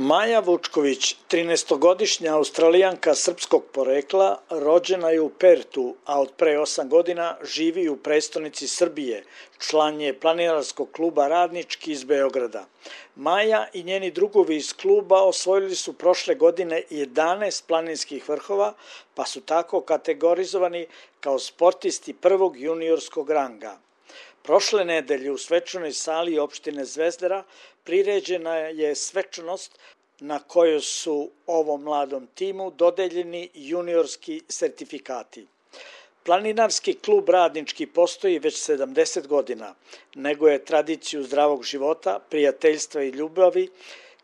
Maja Vučković, 13-godišnja Australijanka srpskog porekla, rođena je u Pertu, a od pre 8 godina živi u prestonici Srbije. Član je planinarskog kluba Radnički iz Beograda. Maja i njeni drugovi iz kluba osvojili su prošle godine 11 planinskih vrhova, pa su tako kategorizovani kao sportisti prvog juniorskog ranga. Prošle nedelje u svečanoj sali opštine Zvezdara priređena je svečanost na kojoj su ovom mladom timu dodeljeni juniorski sertifikati. Planinarski klub Radnički postoji već 70 godina, nego je tradiciju zdravog života, prijateljstva i ljubavi,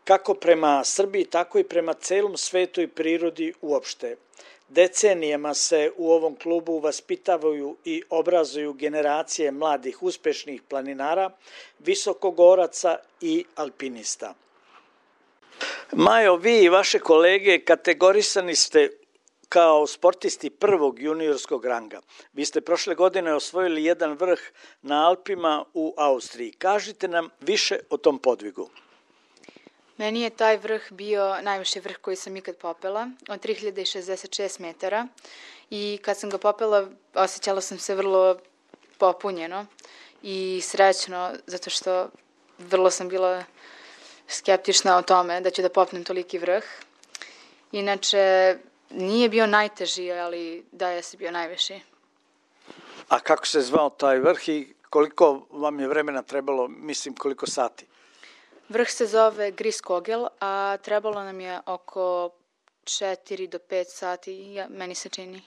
kako prema Srbiji, tako i prema celom svetu i prirodi uopšte. Decenijama se u ovom klubu vaspitavaju i obrazuju generacije mladih uspešnih planinara, visokogoraca i alpinista. Majo, vi i vaše kolege kategorisani ste kao sportisti prvog juniorskog ranga. Vi ste prošle godine osvojili jedan vrh na Alpima u Austriji. Kažite nam više o tom podvigu. Meni je taj vrh bio najviši vrh koji sam ikad popela, od 3066 metara, i kad sam ga popela osjećala sam se vrlo popunjeno i srećno, zato što vrlo sam bila skeptična o tome da ću da popnem toliki vrh. Inače, nije bio najteži, ali da je bio najviši. A kako se zvao taj vrh i koliko vam je vremena trebalo, koliko sati? Vrh se zove Griskogel, a trebalo nam je oko 4 do 5 sati, meni se čini.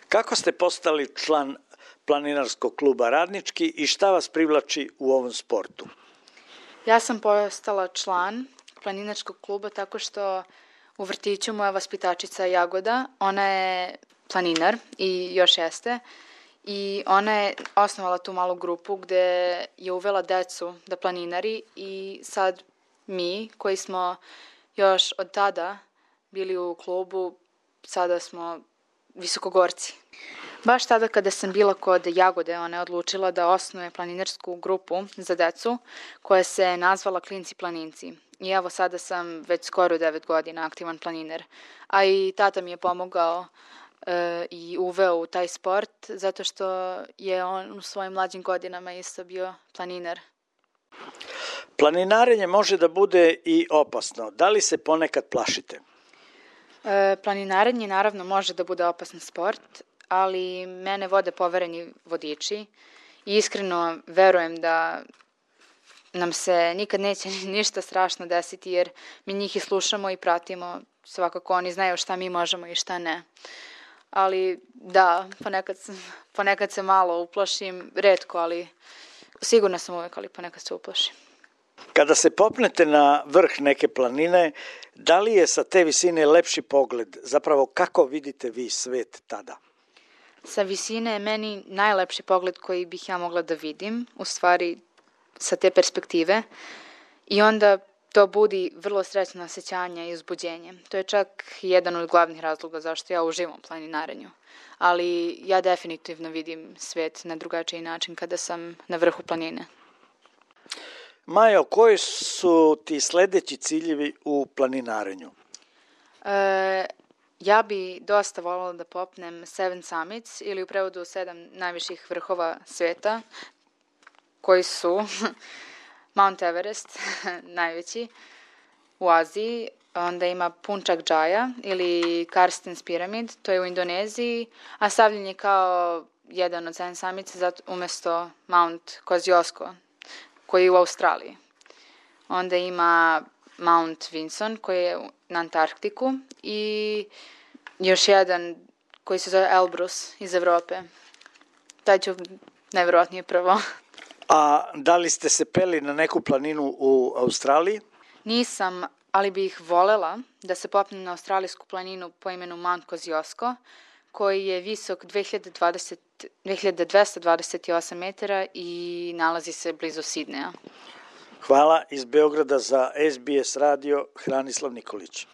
Kako ste postali član planinarskog kluba Radnički i šta vas privlači u ovom sportu? Ja sam postala član planinarskog kluba tako što u vrtiću moja vaspitačica Jagoda, ona je planinar i još jeste, i ona je osnovala tu malu grupu gde je uvela decu da planinari i sad mi koji smo još od tada bili u klubu, sada smo visokogorci. Baš tada kada sam bila kod Jagode, ona je odlučila da osnuje planinarsku grupu za decu koja se nazvala Klinci planinci. I evo sada sam već skoro 9 godina aktivan planinar. A i tata mi je pomogao i uveo u taj sport zato što je on u svojim mlađim godinama isto bio planinar. Planinarenje može da bude i opasno. Da li se ponekad plašite? Planinarenje naravno može da bude opasan sport, ali mene vode povereni vodiči i iskreno verujem da nam se nikad neće ništa strašno desiti jer mi njih i slušamo i pratimo, svakako oni znaju šta mi možemo i šta ne. Ali da, ponekad se malo uplašim, retko, ali sigurno sam uvek, ali ponekad se uplašim. Kada se popnete na vrh neke planine, da li je sa te visine lepši pogled? Zapravo kako vidite vi svet tada? Sa visine je meni najlepši pogled koji bih ja mogla da vidim, u stvari sa te perspektive, i onda to budi vrlo srećno osjećanje i uzbuđenje. To je čak jedan od glavnih razloga zašto ja uživam u planinarenju. Ali ja definitivno vidim svet na drugačiji način kada sam na vrhu planine. Majo, koji su ti sledeći ciljevi u planinarenju? Ja bi dosta voljela da popnem Seven Summits ili u prevodu 7 najviših vrhova sveta, koji su Mount Everest, najveći, u Aziji, onda ima Puncak Jaya ili Karstens Pyramid, to je u Indoneziji, a stavljen je kao jedan od 7 Summits umesto Mount Kosciuszko, koji je u Australiji. Onda ima Mount Vinson, koji je na Antarktiku, i još jedan koji se zove Elbrus iz Evrope. Taj ću najverovatnije prvo. A da li ste se peli na neku planinu u Australiji? Nisam, ali bih volela da se popnem na australijsku planinu po imenu Mount Kosciuszko, koji je visok 2228 metara i nalazi se blizu Sidneja. Hvala. Iz Beograda za SBS radio, Hranislav Nikolić.